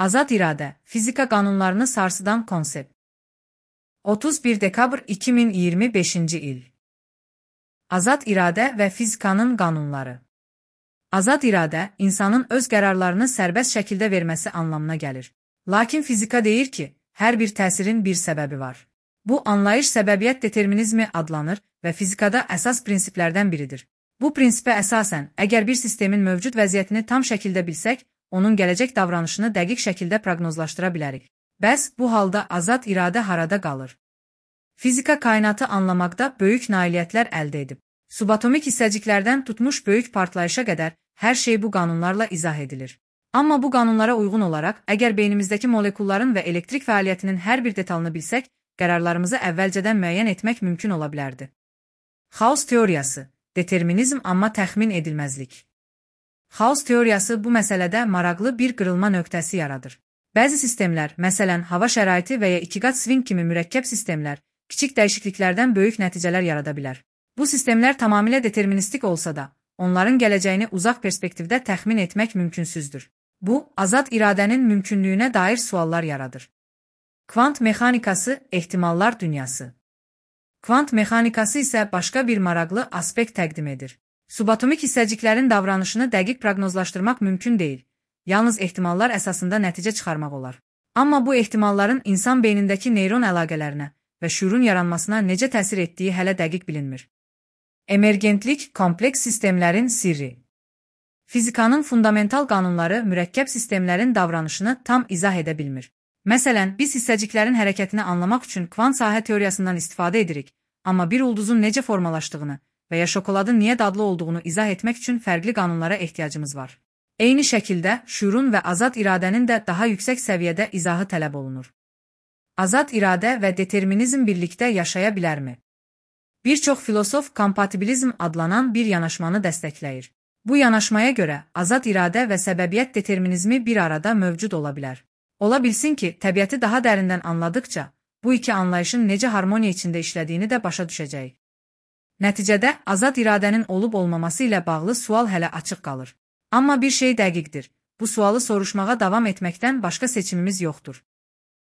Azad iradə, fizika qanunlarını sarsıdan konsept. 31 dekabr 2025-ci il. Azad iradə və fizikanın qanunları. Azad iradə, insanın öz qərarlarını sərbəst şəkildə verməsi anlamına gəlir. Lakin fizika deyir ki, hər bir təsirin bir səbəbi var. Bu anlayış səbəbiyyət determinizmi adlanır və fizikada əsas prinsiplərdən biridir. Bu prinsipə əsasən, əgər bir sistemin mövcud vəziyyətini tam şəkildə bilsək, onun gələcək davranışını dəqiq şəkildə proqnozlaşdıra bilərik. Bəs bu halda azad iradə harada qalır? Fizika kainatı anlamaqda böyük nailiyyətlər əldə edib. Subatomik hissəciklərdən tutmuş böyük partlayışa qədər hər şey bu qanunlarla izah edilir. Amma bu qanunlara uyğun olaraq, əgər beynimizdəki molekulların və elektrik fəaliyyətinin hər bir detalını bilsək, qərarlarımızı əvvəlcədən müəyyən etmək mümkün ola bilərdi. Xaos teoriyası, determinizm amma təxmin edilməzlik. Xaos teoriyası bu məsələdə maraqlı bir qırılma nöqtəsi yaradır. Bəzi sistemlər, məsələn, hava şəraiti və ya ikiqat swing kimi mürəkkəb sistemlər, kiçik dəyişikliklərdən böyük nəticələr yarada bilər. Bu sistemlər tamamilə deterministik olsa da, onların gələcəyini uzaq perspektivdə təxmin etmək mümkünsüzdür. Bu, azad iradənin mümkünlüyünə dair suallar yaradır. Kvant mexanikası, ehtimallar dünyası. Kvant mexanikası isə başqa bir maraqlı aspekt təqdim edir. Subatomik hissəciklərin davranışını dəqiq proqnozlaşdırmaq mümkün deyil. Yalnız ehtimallar əsasında nəticə çıxarmaq olar. Amma bu ehtimalların insan beynindəki neyron əlaqələrinə və şüurun yaranmasına necə təsir etdiyi hələ dəqiq bilinmir. Emergentlik, kompleks sistemlərin sirri. Fizikanın fundamental qanunları mürəkkəb sistemlərin davranışını tam izah edə bilmir. Məsələn, biz hissəciklərin hərəkətini anlamaq üçün kvant sahə teoriyasından istifadə edirik, amma bir ulduzun necə formalaşdığını və ya şokoladın niyə dadlı olduğunu izah etmək üçün fərqli qanunlara ehtiyacımız var. Eyni şəkildə, şüurun və azad iradənin də daha yüksək səviyyədə izahı tələb olunur. Azad iradə və determinizm birlikdə yaşaya bilərmi? Bir çox filosof kompatibilizm adlanan bir yanaşmanı dəstəkləyir. Bu yanaşmaya görə azad iradə və səbəbiyyət determinizmi bir arada mövcud ola bilər. Ola bilsin ki, təbiəti daha dərindən anladıkca, bu iki anlayışın necə harmoniya içində işlədiyini də başa düşəcəyik. Nəticədə, azad iradənin olub-olmaması ilə bağlı sual hələ açıq qalır. Amma bir şey dəqiqdir, bu sualı soruşmağa davam etməkdən başqa seçimimiz yoxdur.